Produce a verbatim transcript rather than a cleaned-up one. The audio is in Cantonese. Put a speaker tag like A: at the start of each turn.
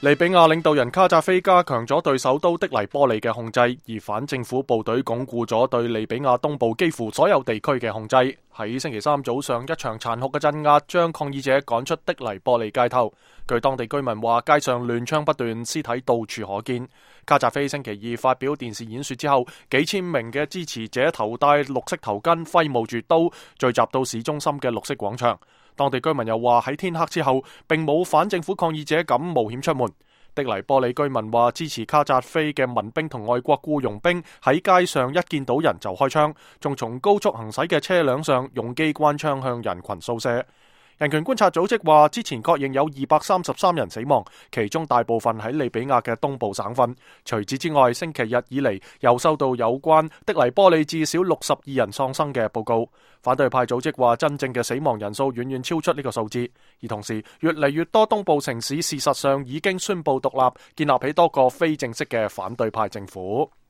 A: 利比亞領導人卡扎菲加強咗對首都的黎波里嘅控制，而反政府部隊鞏固咗對利比亞東部幾乎所有地區嘅控制。喺星期三早上，一場殘酷嘅鎮壓將抗議者趕出的黎波里街頭。據當地居民話，街上亂槍不斷，屍體到處可見。卡扎菲星期二發表電視演說之後，幾千名嘅支持者頭戴綠色頭巾，揮舞住刀，聚集到市中心嘅綠色廣場。當地居民又話喺天黑之後，並冇反政府抗議者敢冒險出門。的黎波里居民話支持卡扎菲嘅民兵同外國僱傭兵喺街上一見到人就開槍，仲從高速行駛嘅車輛上用機關槍向人群掃射。人權觀察組織話，之前確認有二百三十三人死亡，其中大部分喺利比亞嘅東部省份。除此之外，星期日以嚟又收到有關的黎波里至少六十二人喪生嘅報告。反對派組織話，真正嘅死亡人數遠遠超出呢個數字，而同時越嚟越多東部城市事實上已經宣布獨立，建立起多個非正式嘅反對派政府。